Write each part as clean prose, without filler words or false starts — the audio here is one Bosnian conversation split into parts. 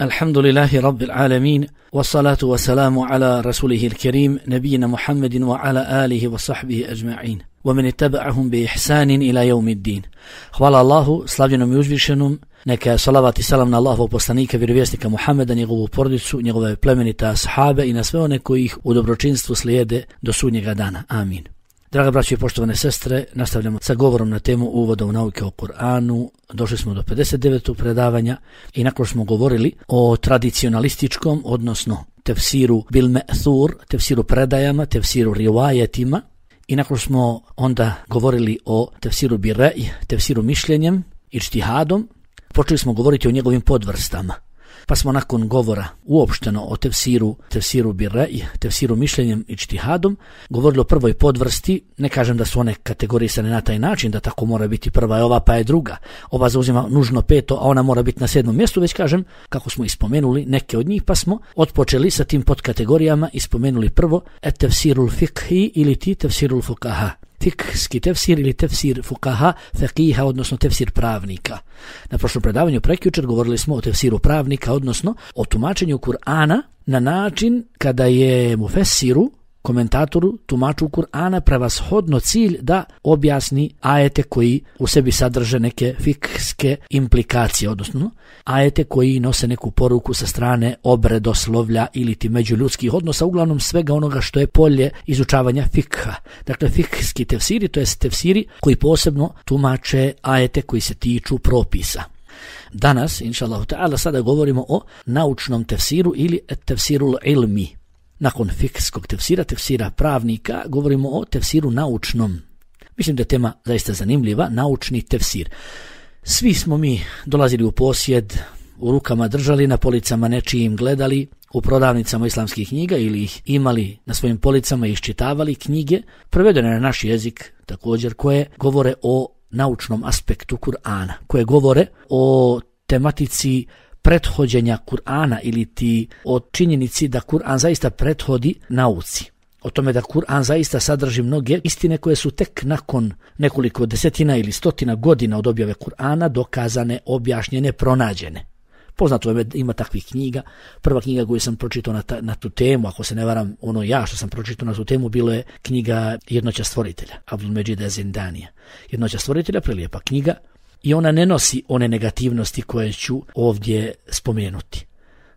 Alhamdulillahi Rabbil Alamin, wassalatu wassalamu ala rasulihi l-kerim, nabijina Muhammedin wa ala alihi wa sahbihi ajma'in, wa man ittaba'ahum bi ihsanin ila yawmiddin. Hvala Allahu, slavljenom i uzvišenom, neka salavat i salam na Allahovog poslanika, vjerovjesnika Muhammeda, njegovu porodicu, njegove plemenite ashabe i na sve one koji ih u dobročinstvu slijede do sudnjega dana. Amin. Draga braćo i poštovane sestre, nastavljamo sa govorom na temu uvoda u nauke o Kur'anu. Došli smo do 59. predavanja i nakon smo govorili o tradicionalističkom, odnosno tefsiru bil me'thur, tefsiru predajama, tefsiru rivajetima, i nakon smo onda govorili o tefsiru bil rej, tefsiru mišljenjem, ičtihadom, počeli smo govoriti o njegovim podvrstama. Pa smo nakon govora uopšteno o tefsiru bil rej, tefsiru mišljenjem i ičtihadom, govorili o prvoj podvrsti. Ne kažem da su one kategorisane na taj način, da tako mora biti prva je ova pa je druga. Ova zauzima nužno peto, a ona mora biti na 7. mjestu, već kažem, kako smo ispomenuli neke od njih, pa smo otpočeli sa tim podkategorijama i spomenuli prvo tefsirul fikhi ili ti tefsirul fukaha. Fikski tefsir ili tefsir fukaha, feqiha, odnosno tefsir pravnika. Na prošlom predavanju prekjučer govorili smo o tefsiru pravnika, odnosno o tumačenju Kur'ana na način kada je mufessiru, komentatoru, tumaču Kur'ana prevashodno cilj da objasni ajete koji u sebi sadrže neke fikske implikacije, odnosno ajete koji nose neku poruku sa strane obredoslovlja ili ti međuljudskih odnosa, uglavnom svega onoga što je polje izučavanja fikha. Dakle, fikski tefsiri, to jest tefsiri koji posebno tumače ajete koji se tiču propisa. Danas, inšallahu ta'ala, sada govorimo o naučnom tefsiru ili tefsirul ilmi. Nakon fikskog tefsira, tefsira pravnika, govorimo o tefsiru naučnom. Mislim da je tema zaista zanimljiva, naučni tefsir. Svi smo mi dolazili u posjed, u rukama držali, na policama nečijim gledali, u prodavnicama islamskih knjiga ili ih imali na svojim policama i iščitavali knjige, prevedene na naš jezik također, koje govore o naučnom aspektu Kur'ana, koje govore o tematici prethođenja Kur'ana ili ti o činjenici da Kur'an zaista prethodi nauci. O tome da Kur'an zaista sadrži mnoge istine koje su tek nakon nekoliko desetina ili stotina godina od objave Kur'ana dokazane, objašnjene, pronađene. Poznato je, ima takvih knjiga. Prva knjiga koju sam pročitao na tu temu, ako se ne varam, što sam pročitao na tu temu, bilo je knjiga Jednoća stvoritelja, Abdul Međida Zindanija. Jednoća stvoritelja, prelijepa knjiga, i ona ne nosi one negativnosti koje ću ovdje spomenuti.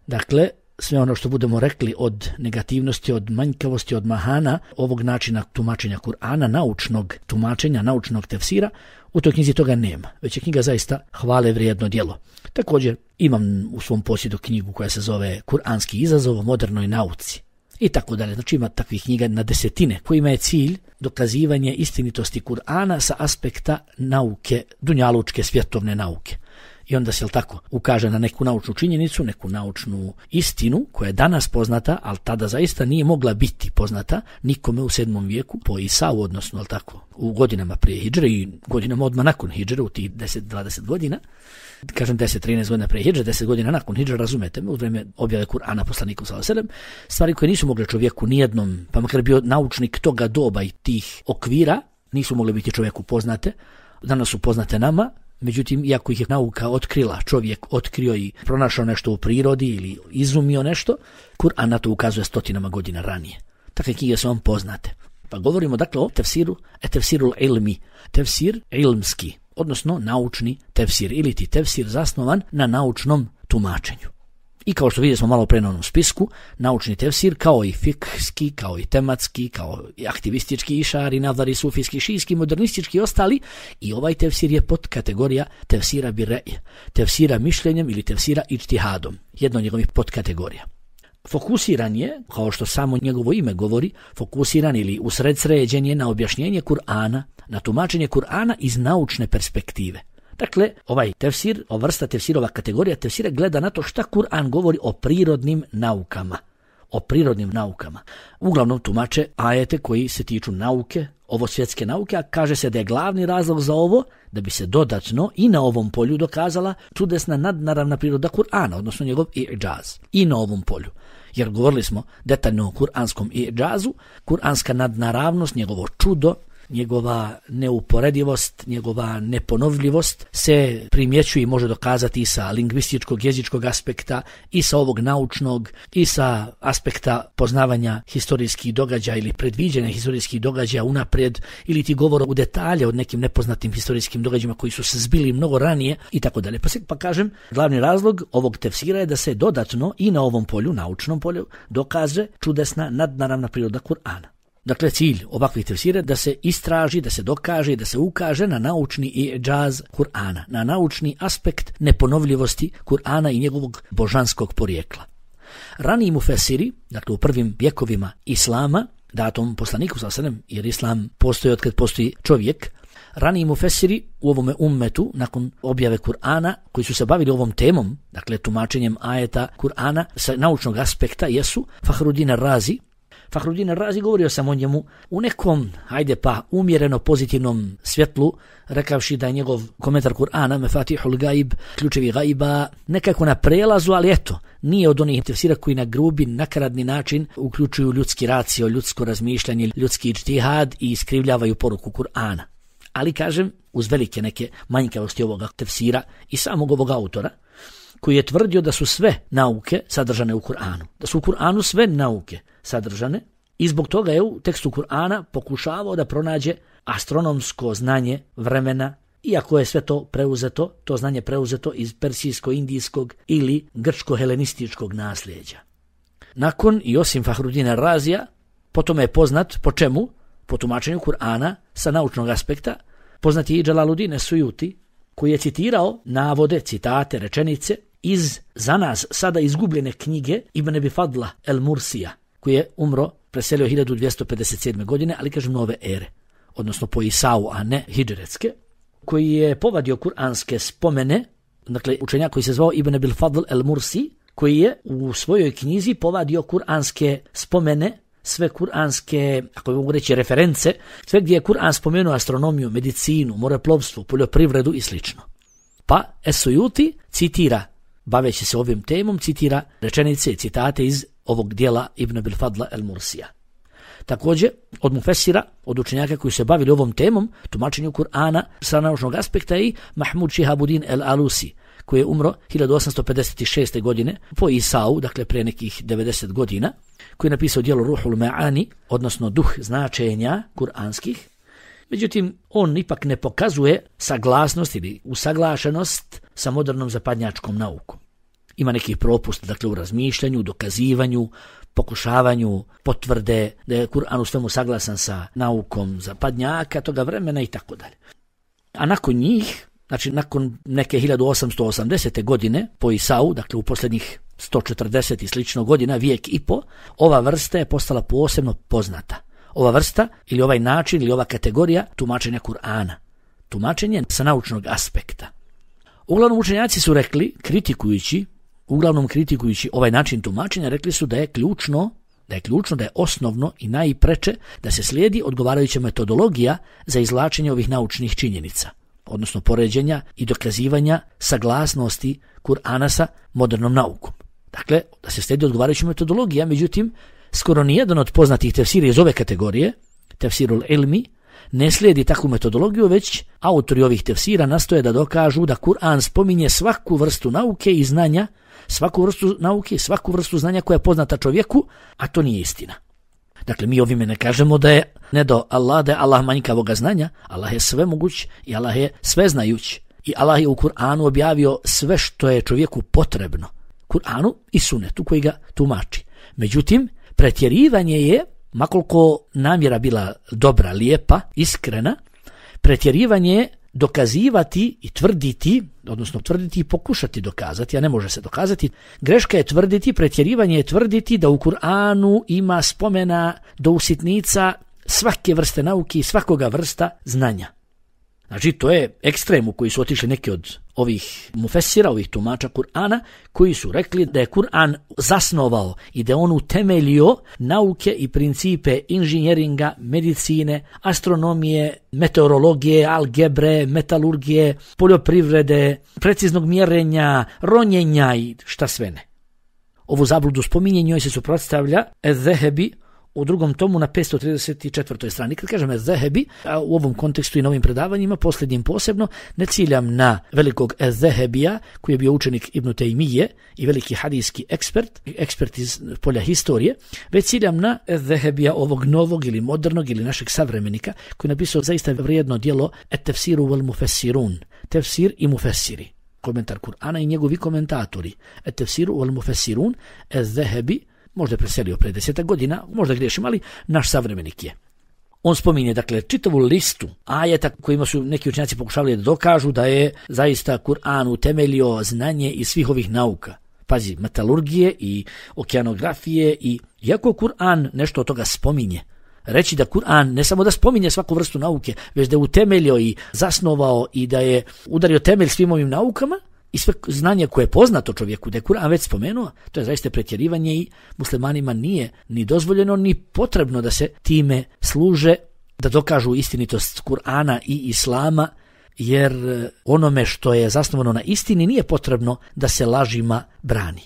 Dakle, sve ono što budemo rekli od negativnosti, od manjkavosti, od mahana ovog načina tumačenja Kur'ana, naučnog tumačenja, naučnog tefsira, u toj knjizi toga nema. Već je knjiga zaista hvale vrijedno djelo. Također imam u svom posjedu knjigu koja se zove Kur'anski izazov o modernoj nauci i tako dalje. Znači ima takvih knjiga na desetine kojima je cilj dokazivanje istinitosti Kur'ana sa aspekta nauke, dunjalučke svjetovne nauke. I onda se tako ukaže na neku naučnu činjenicu, neku naučnu istinu koja je danas poznata, ali tada zaista nije mogla biti poznata nikome u 7. vijeku po Isau, odnosno u godinama prije hidžre i godinama odmah nakon hidžre, u tih 10-20 godina. Kažem 10-13 godina prije hidžre, 10 godina nakon hidžre, razumete me, u vrijeme objave Kur'ana poslaniku sallallahu alejhi ve sellem, stvari koje nisu mogle čovjeku nijednom, pa makar bio naučnik toga doba i tih okvira, nisu mogle biti čovjeku poznate, danas su poznate nama. Međutim, iako ih je nauka otkrila, čovjek otkrio i pronašao nešto u prirodi ili izumio nešto, Kur'an na to ukazuje stotinama godina ranije. Takve knjige su vam poznate. Pa govorimo dakle o tefsiru, tefsirul ilmi, tefsir ilmski, odnosno naučni tefsir ili ti tefsir zasnovan na naučnom tumačenju. I kao što vidjeli smo malo pre na onom spisku, naučni tefsir kao i fikski, kao i tematski, kao i aktivistički, išari, nadari, sufijski, šijski, modernistički i ostali, i ovaj tefsir je pod kategorija tefsira bil rej, tefsira mišljenjem ili tefsira ičtihadom, jedna od njegovih podkategorija. Fokusiran je, kao što samo njegovo ime govori, fokusiran ili usredsređen je na objašnjenje Kur'ana, na tumačenje Kur'ana iz naučne perspektive. Dakle, ovaj tefsir, ova vrsta tefsirova kategorija tefsira gleda na to šta Kur'an govori o prirodnim naukama. O prirodnim naukama. Uglavnom tumače ajete koji se tiču nauke, ovo svjetske nauke, a kaže se da je glavni razlog za ovo da bi se dodatno i na ovom polju dokazala čudesna nadnaravna priroda Kur'ana, odnosno njegov i'džaz. I na ovom polju. Jer govorili smo detaljno o kur'anskom i'džazu, kur'anska nadnaravnost, njegovo čudo, njegova neuporedivost, njegova neponovljivost se primjećuje i može dokazati i sa lingvističkog, jezičkog aspekta, i sa ovog naučnog, i sa aspekta poznavanja historijskih događaja ili predviđanja historijskih događaja unaprijed, ili ti govora u detalje o nekim nepoznatim historijskim događajima koji su se zbili mnogo ranije i tako dalje. Pa kažem, glavni razlog ovog tefsira je da se dodatno i na ovom polju, naučnom polju, dokaže čudesna nadnaravna priroda Kur'ana. Dakle, cilj ovakvih tefsira je da se istraži, da se dokaže, da se ukaže na naučni i'džaz Kur'ana, na naučni aspekt neponovljivosti Kur'ana i njegovog božanskog porijekla. Raniji mufesiri, dakle u prvim vjekovima Islama, datom poslaniku sallallahu alejhi ve sellem, jer Islam postoji od kad postoji čovjek, raniji mufesiri u ovome ummetu, nakon objave Kur'ana, koji su se bavili ovom temom, dakle tumačenjem ajeta Kur'ana sa naučnog aspekta, jesu Fahruddin Razi. Fahruddin Razi, govorio sam o njemu u nekom, umjereno pozitivnom svjetlu, rekavši da je njegov komentar Kur'ana, Mefatihul Gaib, ključevi gajba, nekako na prelazu, ali eto, nije od onih tefsira koji na grubi, nakaradni način uključuju ljudski racio, ljudsko razmišljanje, ljudski ijtihad i iskrivljavaju poruku Kur'ana. Ali kažem, uz velike neke manjkavosti ovoga tefsira i samog ovog autora, koji je tvrdio da su sve nauke sadržane u Kur'anu. Da su u Kur'anu sve nauke sadržane i zbog toga je u tekstu Kur'ana pokušavao da pronađe astronomsko znanje vremena, iako je sve to znanje preuzeto iz persijsko-indijskog ili grčko-helenističkog nasljeđa. Nakon i osim Fahruddina Razija, potom je poznat po čemu? Po tumačenju Kur'ana sa naučnog aspekta, poznat je i Džalaluddin Es-Sujuti, koji je citirao navode, citate, rečenice iz za nas sada izgubljene knjige Ibn Abi Fadla el-Mursija, koji je umro, preselio 1257. godine, ali kažem nove ere, odnosno po Isau, a ne hidžretske, koji je povadio kuranske spomene, dakle učenjak koji se zvao Ibn Abi Fadl el-Mursi, koji je u svojoj knjizi povadio kuranske spomene, sve kuranske, ako mogu reći, reference, sve gdje je Kur'an spomenuo astronomiju, medicinu, moreplovstvo, poljoprivredu i sl. Pa Es-Sujuti citira, baveći se ovim temom, citira rečenice i citate iz ovog dijela Ibn Abil Fadla el-Mursija. Također, od mufesira, od učenjaka koji se bavili ovom temom, tumačenju Kur'ana sa naučnog aspekta, i Mahmud Šihabuddin el-Alusi, koji je umro 1856. godine po Isau, dakle pre nekih 90 godina, koji je napisao djelo Ruhul Ma'ani, odnosno duh značenja kuranskih. Međutim, on ipak ne pokazuje saglasnost ili usaglašenost sa modernom zapadnjačkom naukom. Ima nekih propusta, dakle u razmišljanju, dokazivanju, pokušavanju potvrde da je Kur'an u svemu saglasan sa naukom zapadnjaka toga vremena i tako dalje. A nakon njih, znači nakon neke 1880. godine po Isau, dakle u posljednjih 140 i slično godina, vijek i po, ova vrsta je postala posebno poznata. Ova vrsta ili ovaj način ili ova kategorija tumačenja Kur'ana. Tumačenje sa naučnog aspekta. Uglavnom učenjaci su rekli, kritikujući ovaj način tumačenja, rekli su da je ključno, da je osnovno i najpreče da se slijedi odgovarajuća metodologija za izvlačenje ovih naučnih činjenica, odnosno poređenja i dokazivanja saglasnosti Kur'ana sa modernom naukom. Dakle, da se slijedi odgovarajuća metodologija, međutim, skoro nijedan od poznatih tefsira iz ove kategorije, tefsirul ilmi, ne slijedi takvu metodologiju, već autori ovih tefsira nastoje da dokažu da Kur'an spominje svaku vrstu nauke i znanja, svaku vrstu znanja koja je poznata čovjeku, a to nije istina. Dakle, mi ovime ne kažemo da je da je Allah manjkavoga znanja, Allah je svemoguć i Allah je sveznajuć. I Allah je u Kur'anu objavio sve što je čovjeku potrebno. Kur'anu i sunetu koji ga tumači. Međutim, pretjerivanje je, makoliko namjera bila dobra, lijepa, iskrena, pretjerivanje je dokazivati i tvrditi, odnosno tvrditi i pokušati dokazati, a ne može se dokazati. Greška je tvrditi, pretjerivanje je tvrditi da u Kur'anu ima spomena do usitnica svake vrste nauke i svakoga vrsta znanja. Znači, to je ekstrem u koji su otišli neki od ovih mufesira, ovih tumača Kur'ana, koji su rekli da je Kur'an zasnovao i da je on utemeljio nauke i principe inženjeringa, medicine, astronomije, meteorologije, algebre, metalurgije, poljoprivrede, preciznog mjerenja, ronjenja i šta sve ne. Ovu zabludu spominje njoj se suprotstavlja Ez-Zehebi u drugom tomu na 534. strani. Kad kažem Ez-Zehebi, a u ovom kontekstu i na ovim predavanjima, posljednjim posebno, ne ciljam na velikog Ez-Zehebija, koji je bio učenik Ibn Taymije i veliki hadijski ekspert iz polja historije, već ciljam na Ez-Zehebija ovog novog ili modernog ili našeg savremenika, koji je napisao zaista vrijedno djelo Et-Tefsiru wal Mufessirun, tefsir i mufessiri, komentar Kur'ana i njegovi komentatori. Et-Tefsiru wal Mufessirun, Ez-Zehebi, možda je preselio pre 10 godina, možda griješim, ali naš savremenik je. On spominje, dakle, čitavu listu ajeta kojima su neki učenjaci pokušavali da dokažu da je zaista Kur'an utemeljio znanje iz svih ovih nauka. Pazi, metalurgije i okeanografije i iako Kur'an nešto od toga spominje, reći da Kur'an ne samo da spominje svaku vrstu nauke, već da je utemeljio i zasnovao i da je udario temelj svim ovim naukama, i sve znanje koje je poznato čovjeku, da je Kur'an već spomenuo, to je zaista pretjerivanje i muslimanima nije ni dozvoljeno ni potrebno da se time služe, da dokažu istinitost Kur'ana i Islama, jer onome što je zasnovano na istini nije potrebno da se lažima brani.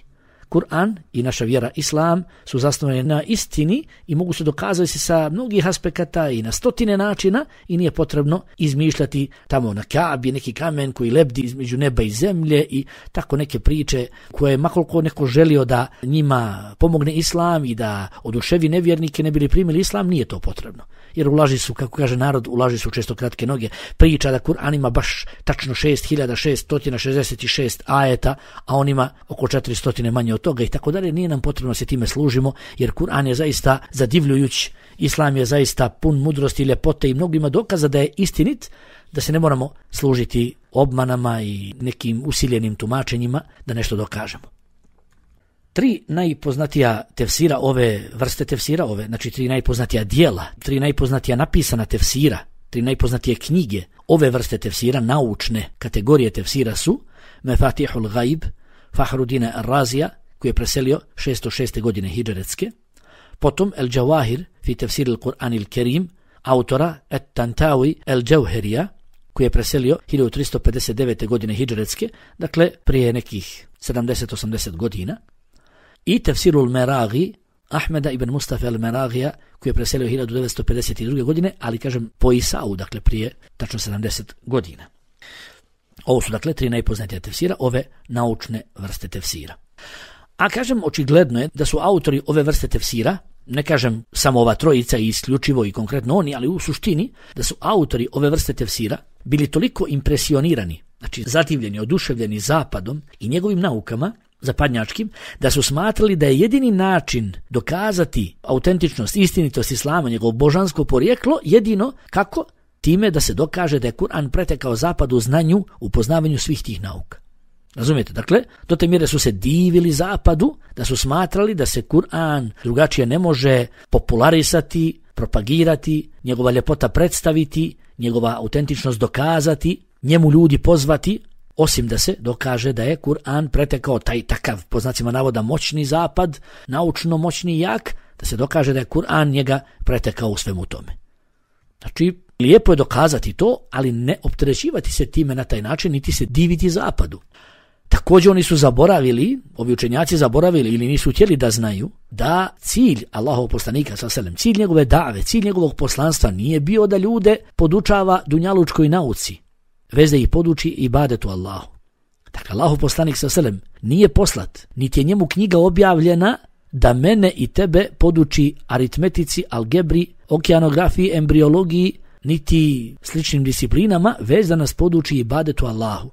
Kur'an i naša vjera Islam su zasnovane na istini i mogu se dokazati sa mnogih aspekata i na stotine načina i nije potrebno izmišljati tamo na Kaabi neki kamen koji lebdi između neba i zemlje i tako neke priče koje makoliko neko želio da njima pomogne Islam i da oduševi nevjernike ne bili primili Islam, nije to potrebno. Jer u laži su, kako kaže narod, u laži su često kratke noge. Priča da Kur'an ima baš tačno 6666 ajeta, a on ima oko 400 manje od toga i tako dalje. Nije nam potrebno se time služimo, jer Kur'an je zaista zadivljujuć, Islam je zaista pun mudrosti i ljepote i mnogima dokaza da je istinit, da se ne moramo služiti obmanama i nekim usiljenim tumačenjima da nešto dokažemo. 3 najpoznatija tefsira ove vrste tefsira, znači 3 najpoznatija dijela, 3 najpoznatija napisana tefsira, 3 najpoznatije knjige ove vrste tefsira, naučne kategorije tefsira su Mefatihul Ghaib, Fahruddina Ar-Razija, koji je preselio 606. godine hidžretske, potom El Jawahir fi tefsir al-Qur'an al-Karim, autora Et-Tantawi El-Jawherija, koji je preselio 1359. godine hidžretske, dakle prije nekih 70-80 godina, i tefsirul Meragi Ahmeda ibn Mustafa al-Meragija, koji je preselio 1952. godine, ali kažem po Isau, dakle prije tačno 70 godina. Ovo su dakle 3 najpoznatija tefsira, ove naučne vrste tefsira. A kažem, očigledno je da su autori ove vrste tefsira, ne kažem samo ova trojica i isključivo i konkretno oni, ali u suštini da su autori ove vrste tefsira bili toliko impresionirani, znači zadivljeni, oduševljeni zapadom i njegovim naukama, zapadnjačkim, da su smatrali da je jedini način dokazati autentičnost, istinitost Islama, njegovo božansko porijeklo, jedino kako? Time da se dokaže da je Kur'an pretekao zapadu u znanju, u poznavanju svih tih nauka. Razumijete? Dakle, do te mjere su se divili zapadu, da su smatrali da se Kur'an drugačije ne može popularisati, propagirati, njegova ljepota predstaviti, njegova autentičnost dokazati, njemu ljudi pozvati, osim da se dokaže da je Kur'an pretekao taj takav, po znacima navoda, moćni zapad, naučno moćni i jak, da se dokaže da je Kur'an njega pretekao u svemu tome. Znači, lijepo je dokazati to, ali ne opterećivati se time na taj način, niti se diviti zapadu. Također oni su zaboravili, ovi učenjaci zaboravili ili nisu htjeli da znaju da cilj Allahov poslanika s.a.v., cilj njegove dave, cilj njegovog poslanstva nije bio da ljude podučava dunjalučkoj nauci, već da ih poduči ibadetu Allahu. Dakle, Allahov poslanik s.a.v. nije poslat, niti je njemu knjiga objavljena da mene i tebe poduči aritmetici, algebri, okeanografiji, embriologiji, niti sličnim disciplinama, već da nas poduči ibadetu Allahu.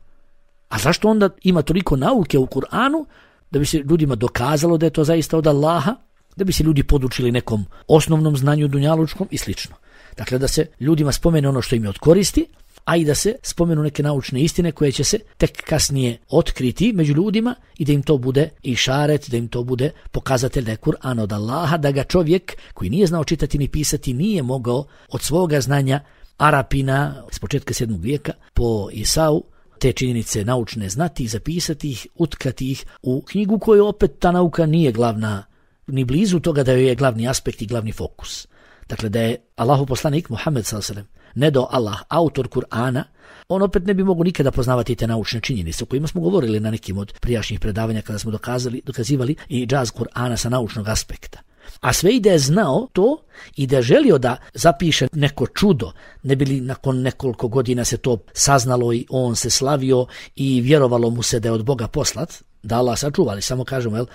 A zašto onda ima toliko nauke u Kur'anu? Da bi se ljudima dokazalo da je to zaista od Allaha, da bi se ljudi podučili nekom osnovnom znanju dunjalučkom i slično. Dakle, da se ljudima spomene ono što im je od koristi, a i da se spomenu neke naučne istine koje će se tek kasnije otkriti među ljudima i da im to bude išaret, da im to bude pokazatelj da je Kur'an od Allaha, da ga čovjek koji nije znao čitati ni pisati nije mogao od svoga znanja Arapina s početka 7. vijeka po Isau te činjenice naučne znati i zapisati ih, utkati ih u knjigu koju opet ta nauka nije glavna, ni blizu toga da joj je glavni aspekt i glavni fokus. Dakle, da je Allahu poslanik Muhammed s.a.v. ne do Allah, autor Kur'ana, on opet ne bi mogu nikada poznavati te naučne činjenice o kojima smo govorili na nekim od prijašnjih predavanja kada smo dokazivali i džaz Kur'ana sa naučnog aspekta. A sve i da je znao to i da je želio da zapiše neko čudo, ne bi li nakon nekoliko godina se to saznalo i on se slavio i vjerovalo mu se da je od Boga poslat, da Allah sačuva, ali samo kažemo,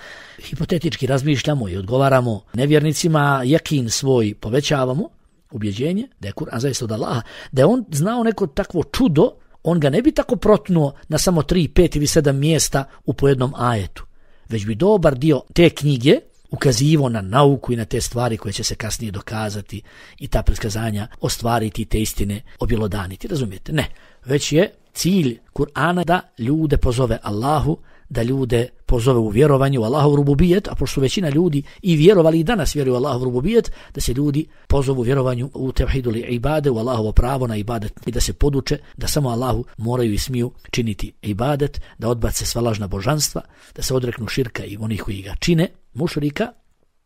hipotetički razmišljamo i odgovaramo nevjernicima, jakin svoj povećavamo, ubjeđenje da je Kur'an zaista od Allaha, da je on znao neko takvo čudo, on ga ne bi tako protnuo na samo 3, 5 ili 7 mjesta u pojednom ajetu, već bi dobar dio te knjige ukazivo na nauku i na te stvari koje će se kasnije dokazati i ta predskazanja ostvariti, te istine objelodaniti. Razumijete? Ne. Već je cilj Kur'ana da ljude pozove Allahu, da ljude pozove u vjerovanje u Allahov rububijet, a pošto su većina ljudi i vjerovali i danas vjeruju u Allahov rububijet, da se ljudi pozovu u vjerovanju u tevhidul ibade, u Allahovo pravo na ibadet i da se poduče da samo Allahu moraju i smiju činiti ibadet, da odbace sva lažna božanstva, da se odreknu širka i onih koji ga čine, mušrika,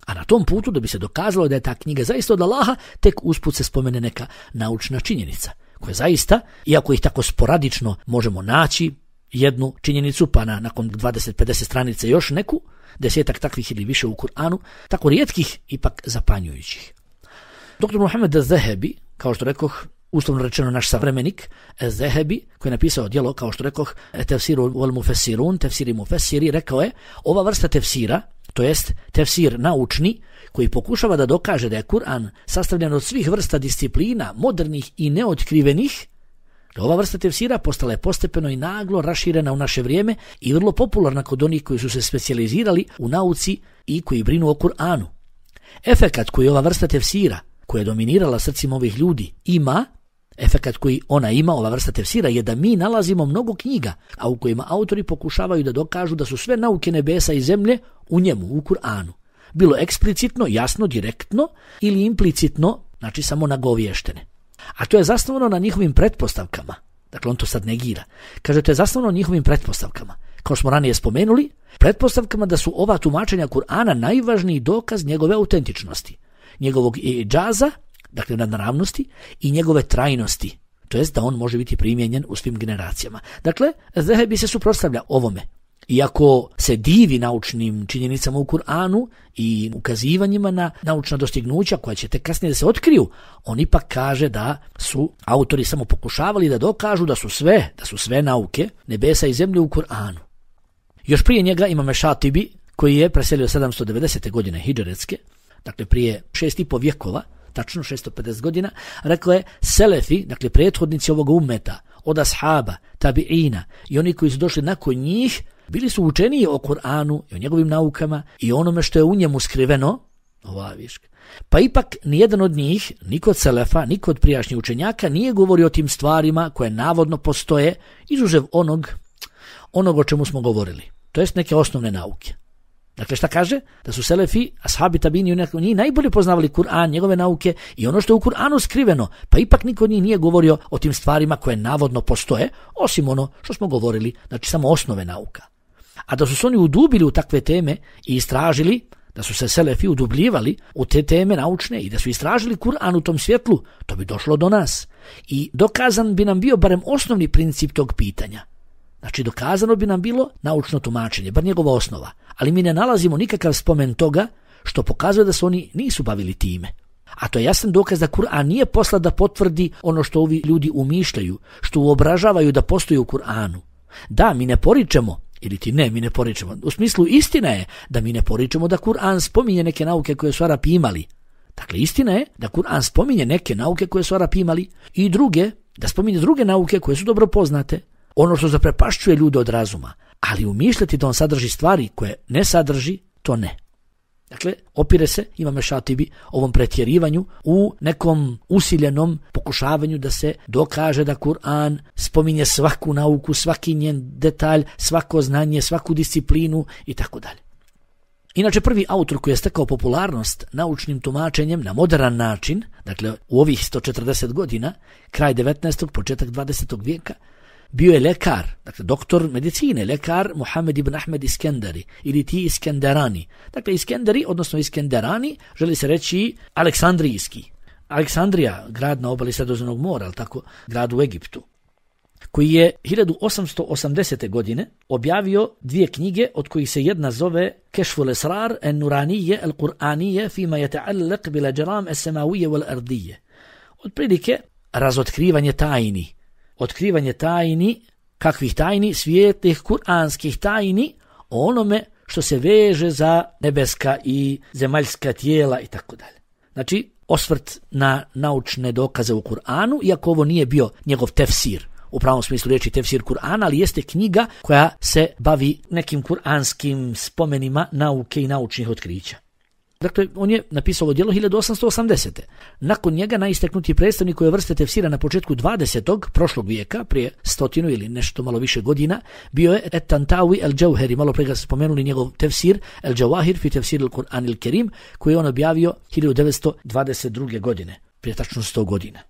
a na tom putu da bi se dokazalo da je ta knjiga zaista od Allaha, tek usput se spomene neka naučna činjenica, koja zaista, iako ih tako sporadično možemo naći, jednu činjenicu, pa nakon 20-50 stranica još neku, 10 takvih ili više u Kur'anu, tako rijetkih, ipak zapanjujućih. Dr. Muhammed az-Zahebi, kao što rekoh, uslovno rečeno naš savremenik, az-Zahebi, koji je napisao djelo, kao što rekoh, Tefsiru wal Mufessirun, Tefsiri Mufessiri, rekao je, ova vrsta tefsira, to jest tefsir naučni, koji pokušava da dokaže da je Kur'an sastavljen od svih vrsta disciplina, modernih i neotkrivenih, ova vrsta tefsira postala je postepeno i naglo raširena u naše vrijeme i vrlo popularna kod onih koji su se specijalizirali u nauci i koji brinu o Kur'anu. Efekat koji ova vrsta tefsira, koja je dominirala srcima ovih ljudi, efekat koji ona ima, ova vrsta tefsira, je da mi nalazimo mnogo knjiga, a u kojima autori pokušavaju da dokažu da su sve nauke nebesa i zemlje u njemu, u Kur'anu. Bilo eksplicitno, jasno, direktno ili implicitno, znači samo nagovještene. A to je zasnovano na njihovim pretpostavkama. Dakle, on to sad negira. Kaže, to je zasnovano na njihovim pretpostavkama. Kao smo ranije spomenuli, pretpostavkama da su ova tumačenja Kur'ana najvažniji dokaz njegove autentičnosti, njegovog džaza, dakle nadnaravnosti, i njegove trajnosti, to jest da on može biti primijenjen u svim generacijama. Dakle, Zahebi se suprotstavlja ovome. Iako se divi naučnim činjenicama u Kur'anu i ukazivanjima na naučna dostignuća koja će tek kasnije da se otkriju, on ipak kaže da su autori samo pokušavali da dokažu da su sve nauke nebesa i zemlje u Kur'anu. Još prije njega imamo Šatibi, koji je preselio 790. godine hidžretske, dakle prije 6,5 vjekova, tačno 650 godina, rekao je selefi, dakle prethodnici ovoga ummeta, od ashaba, tabiina i oni koji su došli nakon njih, bili su učeniji o Kur'anu i o njegovim naukama i onome što je u njemu skriveno, pa ipak nijedan od njih, ni kod selefa, ni kod prijašnjih učenjaka, nije govorio o tim stvarima koje navodno postoje, izuzev onog o čemu smo govorili, to jest neke osnovne nauke. Dakle, šta kaže? Da su selefi, ashabi, tabini, oni najbolje poznavali Kur'an, njegove nauke i ono što je u Kur'anu skriveno, pa ipak niko od njih nije govorio o tim stvarima koje navodno postoje, osim ono što smo govorili, znači samo osnove nauka. A da su se oni udubili u takve teme i istražili, da su se selefi udubljivali u te teme naučne i da su istražili Kur'an u tom svjetlu, to bi došlo do nas. I dokazan bi nam bio barem osnovni princip tog pitanja. Znači, dokazano bi nam bilo naučno tumačenje, bar njegova osnova, ali mi ne nalazimo nikakav spomen toga što pokazuje da se oni nisu bavili time. A to je jasan dokaz da Kur'an nije poslat da potvrdi ono što ovi ljudi umišljaju, što uobražavaju da postoji u Kur'anu. Da, mi ne poričemo, ili ti ne, mi ne poričemo. U smislu, istina je da mi ne poričemo da Kur'an spominje neke nauke koje su Arapi imali. Dakle, istina je da Kur'an spominje neke nauke koje su Arapi imali i druge, da spominje druge nauke koje su dobro poznate. Ono što zaprepašćuje ljude od razuma, ali umišljati da on sadrži stvari koje ne sadrži, to ne. Dakle, opire se, imame Šatibi, ovom pretjerivanju u nekom usiljenom pokušavanju da se dokaže da Kur'an spominje svaku nauku, svaki njen detalj, svako znanje, svaku disciplinu i tako dalje. Inače, prvi autor koji je stekao popularnost naučnim tumačenjem na modern način, dakle u ovih 140 godina, kraj 19. početak 20. vijeka, bio je lekar, dakle doktor medicine, lekar Muhammed ibn Ahmed Iskenderi ili ti Iskenderani. Dakle, Iskenderi, odnosno Iskenderani, želi se reći aleksandrijski. Aleksandrija, grad na obali Sredozemnog mora, ali tako, grad u Egiptu. koji je 1880. godine objavio 2 knjige, od kojih se jedna zove Kešful Esrar en Nuranije el Kur'anije fima yata'allaq bil ajram as-samawiyya wal ardiyya. Otprilike razotkrivanje tajni, kakvih tajni, svijetlih kuranskih tajni, o onome što se veže za nebeska i zemaljska tijela i tako dalje. Znači, osvrt na naučne dokaze u Kur'anu, iako ovo nije bio njegov tefsir, u pravom smislu riječi tefsir Kur'ana, ali jeste knjiga koja se bavi nekim kuranskim spomenima nauke i naučnih otkrića. Dakle, on je napisao ovo djelo 1880. Nakon njega najistaknutiji predstavnik ove vrste tefsira na početku 20. prošlog vijeka, prije 100 ili nešto malo više godina, bio je Et-Tantawi el-Džauheri, malo prije ga spomenuli njegov tefsir El-Džawahir fi tefsir el-Kur'an il-Kerim, koji je on objavio 1922. godine, prije tačno 100 godina.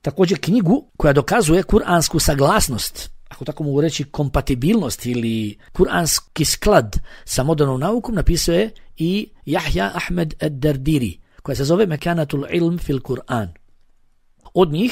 Također knjigu koja dokazuje kuransku saglasnost, ako tako mogu reći kompatibilnost ili kuranski sklad sa modernom naukom, napisao je i Jahja Ahmed Ad-Dardiri, koja se zove Mekanatul ilm fil Kur'an.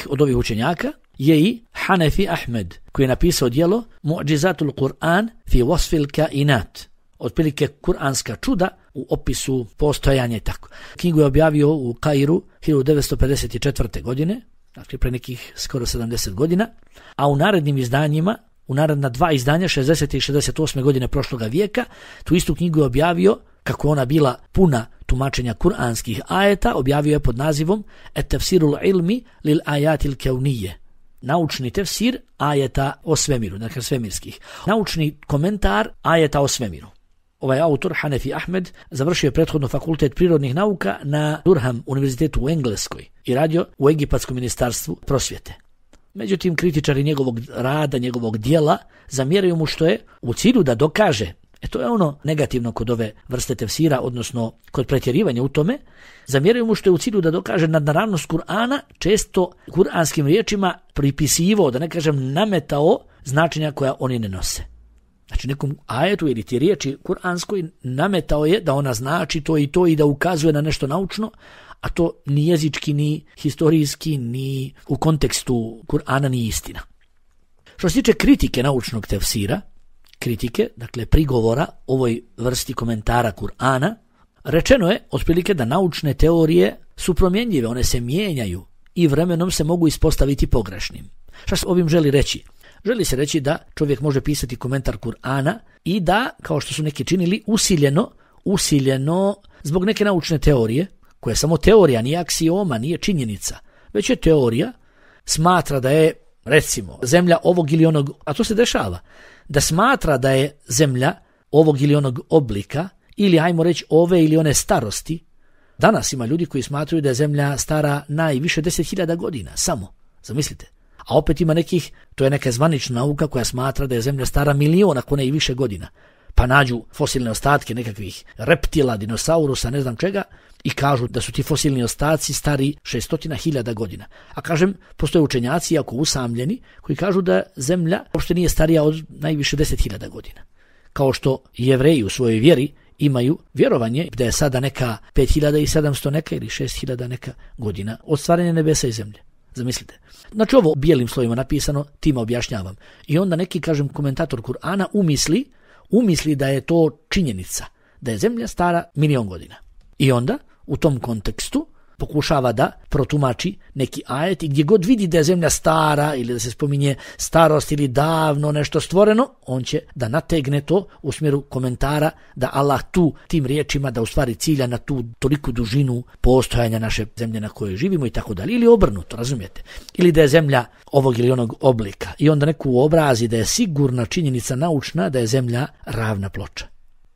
Od ovih učenjaka je i Hanefi Ahmed, koji je napisao djelo Mu'đizatul Kur'an fi wasfil kainat, otprilike kuranska čuda u opisu postojanja i tako. Knjigu je objavio u Kairu 1954. godine, dakle pre nekih skoro 70 godina, a u narednim izdanjima, u naredna 2 izdanja, 60. i 68. godine prošloga vijeka, tu istu knjigu je objavio, kako ona bila puna tumačenja kuranskih ajeta, objavio je pod nazivom Et-Tafsirul ilmi lil ajatil keunije, naučni tefsir ajeta o svemiru, dakle svemirskih, naučni komentar ajeta o svemiru. Ovaj autor, Hanefi Ahmed, završio je prethodno fakultet prirodnih nauka na Durham univerzitetu u Engleskoj i radio u Egipatskom ministarstvu prosvjete. Međutim, kritičari njegovog rada, njegovog dijela, zamjeraju mu što je u cilju da dokaže, to je ono negativno kod ove vrste tefsira, odnosno kod pretjerivanja u tome, zamjeraju mu što je u cilju da dokaže nadnaravnost Kur'ana, često kuranskim riječima pripisivao, da ne kažem nametao, značenja koja oni ne nose. Znači nekom ajetu ili ti riječi kuranskoj nametao je da ona znači to i da ukazuje na nešto naučno, a to ni jezički, ni historijski, ni u kontekstu Kur'ana ni istina. Što se tiče kritike naučnog tefsira, dakle prigovora ovoj vrsti komentara Kur'ana, rečeno je otprilike da naučne teorije su promjenjive, one se mijenjaju i vremenom se mogu ispostaviti pogrešnim. Šta se ovim želi reći? Želi se reći da čovjek može pisati komentar Kur'ana i da, kao što su neki činili, usiljeno zbog neke naučne teorije, koja je samo teorija, nije aksioma, nije činjenica, već je teorija, smatra da je, recimo, zemlja ovog ili onog, a to se dešava, da smatra da je zemlja ovog ili onog oblika, ili ajmo reći ove ili one starosti. Danas ima ljudi koji smatraju da je zemlja stara najviše 10.000 godina, samo, zamislite. A opet ima nekih, to je neka zvanična nauka koja smatra da je zemlja stara 1.000.000, ako ne i više godina. Pa nađu fosilne ostatke nekakvih reptila, dinosaurusa, ne znam čega, i kažu da su ti fosilni ostaci stari 600.000 godina. A kažem, postoje učenjaci, jako usamljeni, koji kažu da zemlja uopšte nije starija od najviše 10.000 godina. Kao što Jevreji u svojoj vjeri imaju vjerovanje da je sada neka 5.700 neka ili 6.000 neka godina od stvaranja nebesa i zemlje. Zamislite. Znači ovo bijelim slovima napisano, time objašnjavam. I onda neki, kažem, komentator Kur'ana umisli da je to činjenica, da je zemlja stara 1.000.000 godina. I onda u tom kontekstu pokušava da protumači neki ajet i gdje god vidi da je zemlja stara ili da se spominje starost ili davno nešto stvoreno, on će da nategne to u smjeru komentara da Allah tim riječima da u stvari cilja na tu toliku dužinu postojanja naše zemlje na kojoj živimo i tako dalje, ili obrnuto, razumijete? Ili da je zemlja ovog ili onog oblika i onda neku obrazi da je sigurna činjenica naučna da je zemlja ravna ploča.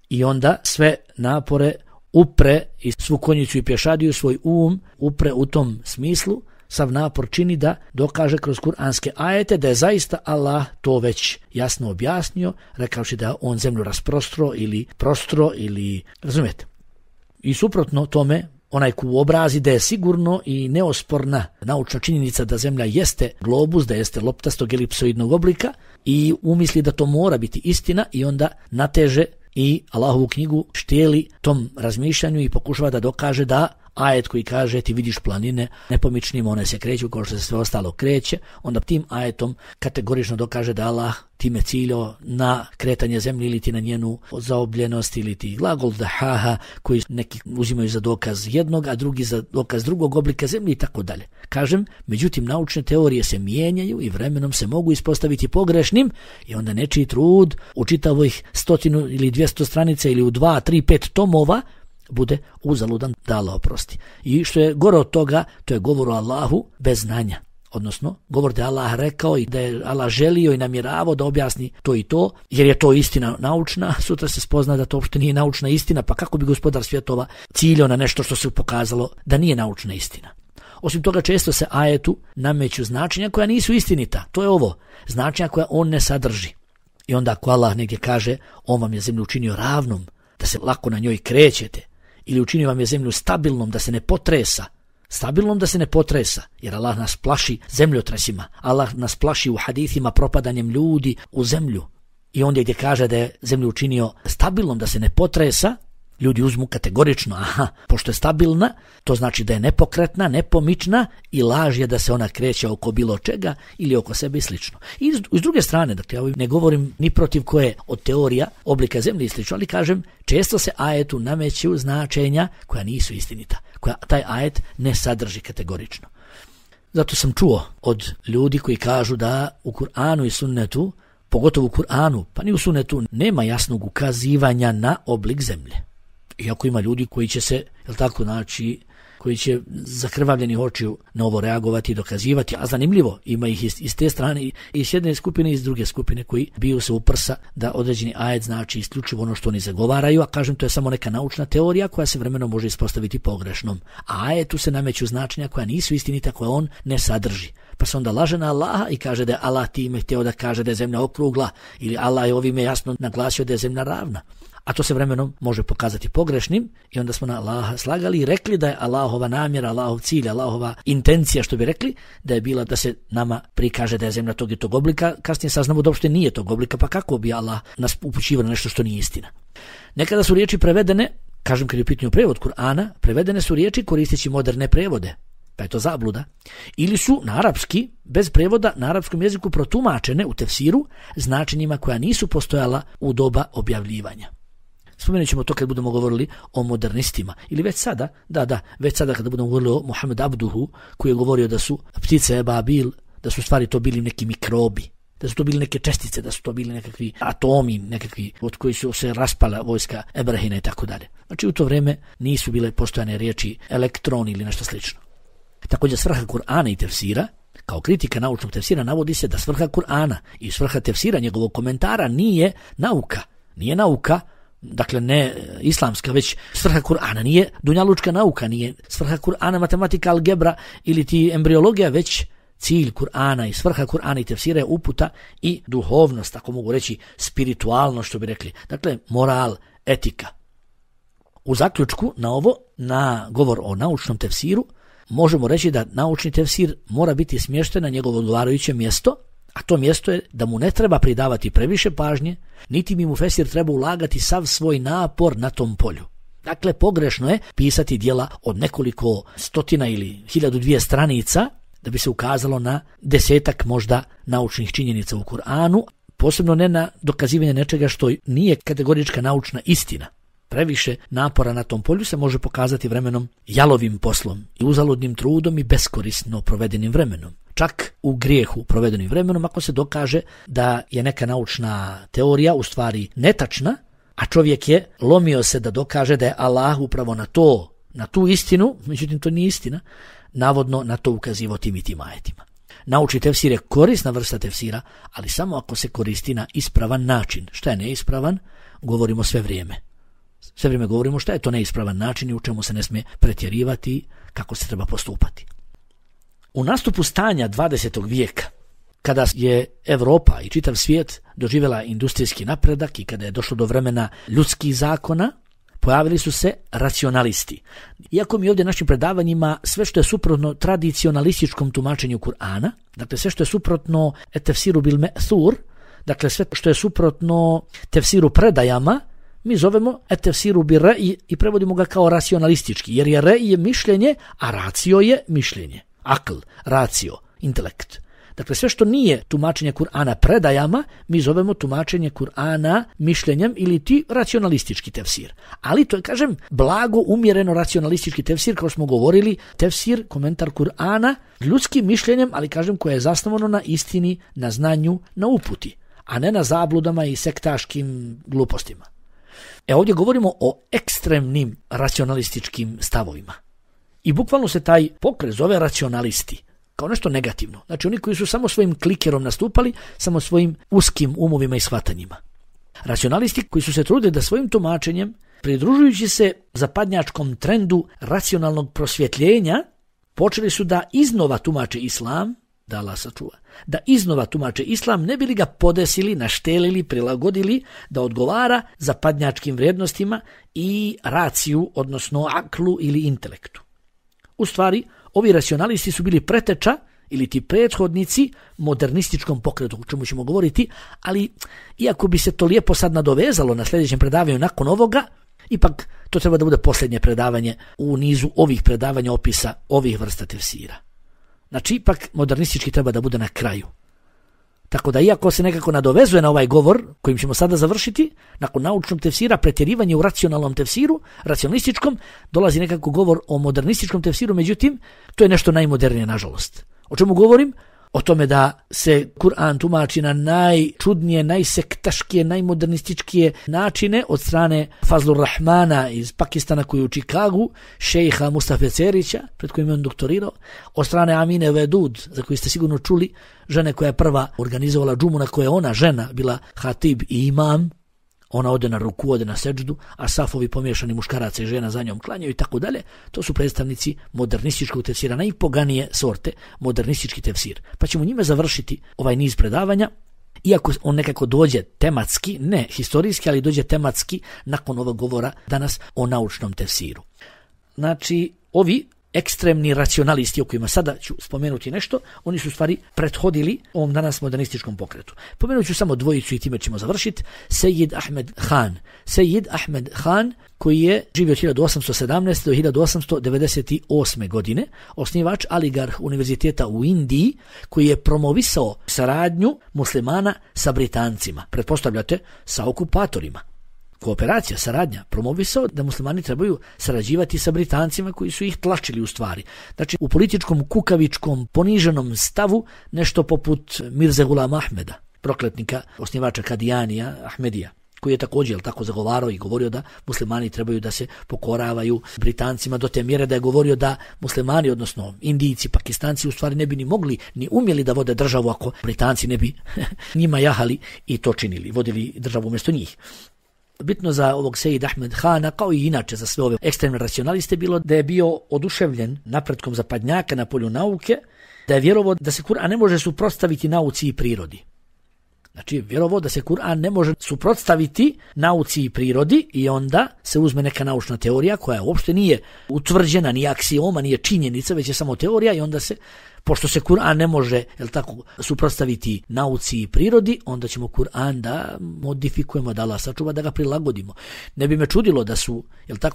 I onda sve napore upre i svu konjicu i pješadiju, svoj upre u tom smislu, sav napor čini da dokaže kroz kuranske ajete da je zaista Allah to već jasno objasnio, rekavši da on zemlju rasprostro ili razumijete. I suprotno tome, onaj ko obrazi da je sigurno i neosporna naučna činjenica da zemlja jeste globus, da jeste loptastog elipsoidnog oblika i umisli da to mora biti istina i onda nateže i Allahovu knjigu štijeli tom razmišljanju i pokušava da dokaže da ajet koji kaže ti vidiš planine nepomičnim, one se kreću kao što se sve ostalo kreće, onda tim ajetom kategorično dokaže da Allah time ciljao na kretanje zemlje ili ti na njenu zaobljenost ili ti glagol dahaha koji neki uzimaju za dokaz jednog, a drugi za dokaz drugog oblika zemlje i tako dalje. Kažem, međutim naučne teorije se mijenjaju i vremenom se mogu ispostaviti pogrešnim i onda nečiji trud u čitavih 100 ili 200 stranica ili u 2, 3, 5 tomova bude uzaludan, da Allah oprosti. I što je gore od toga, to je govor o Allahu bez znanja. Odnosno, govor da je Allah rekao i da je Allah želio i namjeravao da objasni to i to, jer je to istina naučna, sutra se spozna da to uopšte nije naučna istina, pa kako bi gospodar svjetova ciljao na nešto što se pokazalo da nije naučna istina. Osim toga, često se ajetu nameću značenja koja nisu istinita. To je ovo, značenja koja on ne sadrži. I onda ako Allah negdje kaže, on vam je zemlju učinio ravnom, da se lako na njoj krećete, ili učinio vam je zemlju stabilnom, da se ne potresa, jer Allah nas plaši zemljotresima, Allah nas plaši u hadithima propadanjem ljudi u zemlju. I ondje gdje kaže da je zemlju učinio stabilnom, da se ne potresa, ljudi uzmu kategorično, pošto je stabilna, to znači da je nepokretna, nepomična i laž je da se ona kreće oko bilo čega ili oko sebe i slično. I s druge strane, dakle, ja ne govorim ni protiv koje od teorija oblika zemlje i slično, ali kažem, često se ajetu nameću značenja koja nisu istinita, koja taj ajet ne sadrži kategorično. Zato sam čuo od ljudi koji kažu da u Kur'anu i sunnetu, pogotovo u Kur'anu, pa ni u sunnetu, nema jasnog ukazivanja na oblik zemlje. Iako ima ljudi koji će se, koji će zakrvavljenih očiju na ovo reagovati i dokazivati, a zanimljivo, ima ih iz te strane i s jedne skupine i iz druge skupine koji biju se u prsa da određeni ajet znači isključivo ono što oni zagovaraju, a kažem to je samo neka naučna teorija koja se vremenom može ispostaviti pogrešnom. A ajetu se nameću značenja koja nisu istinita, koja on ne sadrži. Pa se onda laže na Allaha i kaže da je Allah time htio da kaže da je zemlja okrugla ili Allah je ovime jasno naglasio da je zemlja ravna. A to se vremenom može pokazati pogrešnim i onda smo na Allaha slagali i rekli da je Allahova namjera, Allahov cilj, Allahova intencija, što bi rekli, da je bila da se nama prikaže da je zemlja tog i tog oblika. Kasnije saznamo da uopšte nije tog oblika, pa kako bi Allah nas upućivao na nešto što nije istina. Nekada su riječi prevedene, kažem kad je u pitanju prevod Kur'ana, prevedene su riječi koristeći moderne prevode, pa je to zabluda. Ili su na arapski, bez prevoda, na arapskom jeziku protumačene u tefsiru značenjima koja nisu postojala u doba objavljivanja. Spomenut ćemo to kad budemo govorili o modernistima. Ili već sada, već sada kada budemo govorili o Muhammed Abduhu, koji je govorio da su ptice Ebabil, da su stvari to bili neki mikrobi, da su to bili neke čestice, da su to bili nekakvi atomi, nekakvi od koji su se raspala vojska Ebrahina i tako dalje. Znači u to vrijeme nisu bile postojane riječi elektron ili nešto slično. Također svrha Kur'ana i tefsira, kao kritika naučnog tefsira, navodi se da svrha Kur'ana i svrha tefsira njegovog komentara nije nauka, dakle ne islamska, već svrha Kur'ana nije dunjalučka nauka, nije svrha Kur'ana matematika, algebra ili ti embriologija, već cilj Kur'ana i svrha Kur'ana i tefsira je uputa i duhovnost, ako mogu reći spiritualnost, što bi rekli. Dakle, moral, etika. U zaključku na ovo, na govor o naučnom tefsiru, možemo reći da naučni tefsir mora biti smješten na njegovo odgovarajuće mjesto, a to mjesto je da mu ne treba pridavati previše pažnje, niti mi mu fesir treba ulagati sav svoj napor na tom polju. Dakle, pogrešno je pisati djela od nekoliko stotina ili 1002 stranica da bi se ukazalo na 10 možda naučnih činjenica u Kur'anu, posebno ne na dokazivanje nečega što nije kategorička naučna istina. Previše napora na tom polju se može pokazati vremenom jalovim poslom i uzaludnim trudom i beskorisno provedenim vremenom. Čak u grijehu provedenim vremenom ako se dokaže da je neka naučna teorija u stvari netačna, a čovjek je lomio se da dokaže da je Allah upravo na tu istinu, međutim to nije istina, navodno na to ukazivao tim i tim ajetima. Naučni tefsir je korisna vrsta tefsira, ali samo ako se koristi na ispravan način. Šta je neispravan? Govorimo sve vrijeme. Sve vrijeme govorimo šta je to neispravan način i u čemu se ne smije pretjerivati, kako se treba postupati. U nastupu stanja 20. vijeka, kada je Europa i čitav svijet doživjela industrijski napredak i kada je došlo do vremena ljudskih zakona, pojavili su se racionalisti. Iako mi ovdje našim predavanjima sve što je suprotno tradicionalističkom tumačenju Kur'ana, dakle sve što je suprotno tefsiru bil me'thur, dakle sve što je suprotno tefsiru predajama, mi zovemo tefsiru bi ra'i i prevodimo ga kao racionalistički, jer je ra'i je mišljenje, a racio je mišljenje. Akl, racio, intelekt. Dakle, sve što nije tumačenje Kur'ana predajama, mi zovemo tumačenje Kur'ana mišljenjem ili ti racionalistički tefsir. Ali to je, kažem, blago umjereno racionalistički tefsir, kao smo govorili, tefsir, komentar Kur'ana, ljudskim mišljenjem, ali kažem koje je zasnovano na istini, na znanju, na uputi, a ne na zabludama i sektaškim glupostima. Ovdje govorimo o ekstremnim racionalističkim stavovima. I bukvalno se taj pokret zove racionalisti, kao nešto negativno. Znači oni koji su samo svojim klikerom nastupali, samo svojim uskim umovima i shvatanjima. Racionalisti koji su se trudili da svojim tumačenjem, pridružujući se zapadnjačkom trendu racionalnog prosvjetljenja, počeli su da iznova tumače islam, da Allah sačuva, da iznova tumače islam, ne bi li ga podesili, naštelili, prilagodili da odgovara zapadnjačkim vrijednostima i raciju, odnosno aklu ili intelektu. U stvari, ovi racionalisti su bili preteča ili ti prethodnici modernističkom pokretu, o čemu ćemo govoriti, ali iako bi se to lijepo sad nadovezalo na sljedećem predavanju nakon ovoga, ipak to treba da bude posljednje predavanje u nizu ovih predavanja opisa ovih vrsta tefsira. Znači, ipak modernistički treba da bude na kraju. Tako da, iako se nekako nadovezuje na ovaj govor, kojim ćemo sada završiti, nakon naučnog tefsira, pretjerivanje u racionalnom tefsiru, racionalističkom, dolazi nekako govor o modernističkom tefsiru, međutim, to je nešto najmodernije, nažalost. O čemu govorim? O tome da se Kur'an tumači na najčudnije, najsektaškije, najmodernističkije načine od strane Fazlur Rahmana iz Pakistana koji je u Čikagu, šejha Mustafa Cerića, pred kojim je on doktorirao, od strane Amine Vedud, za koju ste sigurno čuli, žene koja je prva organizovala džumu na kojoj je ona žena bila hatib i imam. Ona ode na ruku, ode na seđdu, a safovi pomiješani muškaraca i žena za njom klanjaju i tako dalje. To su predstavnici modernističkog tefsira, najpoganije sorte, modernistički tefsir. Pa ćemo njime završiti ovaj niz predavanja, iako on nekako dođe tematski, ne historijski, ali dođe tematski nakon ovog govora danas o naučnom tefsiru. Znači, ovi ekstremni racionalisti o kojima sada ću spomenuti nešto, oni su u stvari prethodili ovom danas modernističkom pokretu. Pomenut ću samo dvojicu i time ćemo završiti. Sejid Ahmed Khan. Sejid Ahmed Khan, koji je živio od 1817. do 1898. godine, osnivač Aligarh univerziteta u Indiji, koji je promovisao saradnju muslimana sa Britancima. Pretpostavljate, sa okupatorima. Kooperacija, saradnja, promovisao da muslimani trebaju sarađivati sa Britancima koji su ih tlačili u stvari. Znači, u političkom, kukavičkom, poniženom stavu, nešto poput Mirze Gulama Ahmeda, prokletnika, osnivača Kadijanija, Ahmedija, koji je također tako zagovarao i govorio da muslimani trebaju da se pokoravaju Britancima do te mjere da je govorio da muslimani, odnosno Indijci, Pakistanci u stvari ne bi ni mogli, ni umjeli da vode državu ako Britanci ne bi njima jahali i to činili, vodili državu umjesto njih. Bitno za ovog Sejid Ahmed Khana, kao i inače za sve ove ekstremne racionaliste, bilo da je bio oduševljen napretkom zapadnjaka na polju nauke, da je vjerovao da se Kur'an ne može suprotstaviti nauci i prirodi. Znači, vjerovao da se Kur'an ne može suprotstaviti nauci i prirodi i onda se uzme neka naučna teorija koja uopšte nije utvrđena, nije aksioma, nije činjenica, već je samo teorija i onda se, pošto se Kur'an ne može, suprotstaviti nauci i prirodi, onda ćemo Kur'an da modifikujemo, da Allah sačuva, da ga prilagodimo. Ne bi me čudilo da su,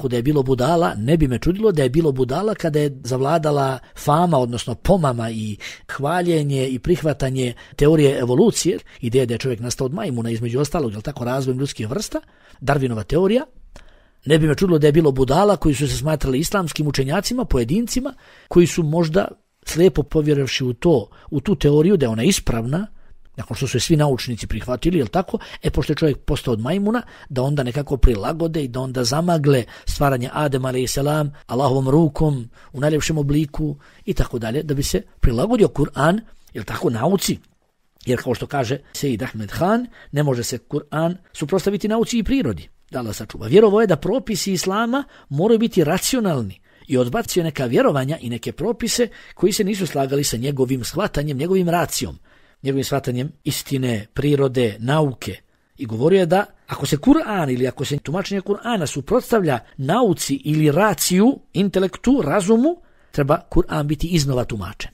da je bilo budala, ne bi me čudilo da je bilo budala kada je zavladala fama, odnosno pomama i hvaljenje i prihvatanje teorije evolucije, ideje da je čovjek nastao od majmuna, između ostalog, razvojem ljudskih vrsta, Darwinova teorija. Ne bi me čudilo da je bilo budala koji su se smatrali islamskim učenjacima, pojedincima, koji su možda slijepo povjerovši u tu teoriju da je ona ispravna, nakon što su je svi naučnici prihvatili, pošto je čovjek postao od majmuna, da onda nekako prilagode i da onda zamagle stvaranje Adema a.s. Allahovom rukom u najljepšem obliku i tako dalje, da bi se prilagodio Kur'an, nauci. Jer kao što kaže Sejid Ahmed Khan, ne može se Kur'an suprotstaviti nauci i prirodi. Da Allah sačuva. Vjerovao je da propisi islama moraju biti racionalni i odbacio neka vjerovanja i neke propise koji se nisu slagali sa njegovim shvatanjem, njegovim racijom, njegovim shvatanjem istine, prirode, nauke. I govorio je da ako se Kur'an ili ako se tumačenje Kur'ana suprotstavlja nauci ili raciju, intelektu, razumu, treba Kur'an biti iznova tumačen.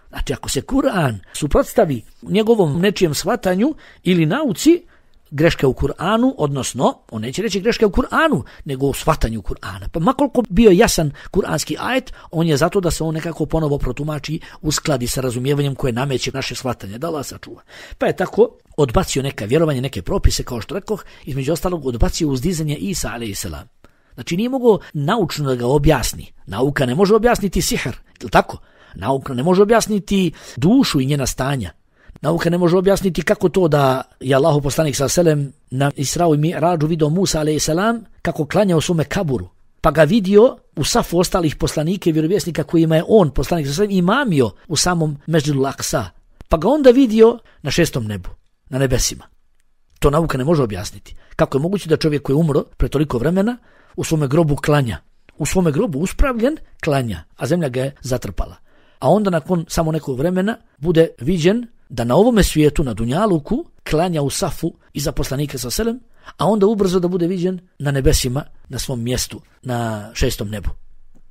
Znači, ako se Kur'an suprotstavi njegovom nečijem shvatanju ili nauci, greške u Kur'anu, odnosno, on neće reći greške u Kur'anu, nego u shvatanju Kur'ana. Pa makoliko bio jasan kur'anski ajet, on je zato da se on nekako ponovo protumači, uskladi sa razumijevanjem koje nameće naše shvatanje, da Allah sačuva. Pa je tako odbacio neka vjerovanja, neke propise, kao što rekoh, između ostalog odbacio uzdizanje Isa a.s. Znači nije mogao naučno da ga objasni. Nauka ne može objasniti sihr, je li tako? Nauka ne može objasniti dušu i njena stanja. Nauka ne može objasniti kako to da je Allahu poslanik s.a.v. na Israu i Mi'rađu vidio Musa a.s. kako klanja u svome kaburu. Pa ga vidio u safu ostalih poslanika i vjerovjesnika kojima je on, poslanik s.a.v. imamio u samom Mesdžidu Al-Aqsa. Pa ga onda vidio na 6. nebu, na nebesima. To nauka ne može objasniti. Kako je moguće da čovjek koji je umro pre toliko vremena u svome grobu klanja? U svome grobu uspravljen klanja, a zemlja ga je zatrpala. A onda nakon samo nekog vremena bude viđen da na ovome svijetu, na Dunjaluku, klanja u safu iza poslanika s.a.v. a onda ubrzo da bude viđen na nebesima, na svom mjestu, na 6. nebu.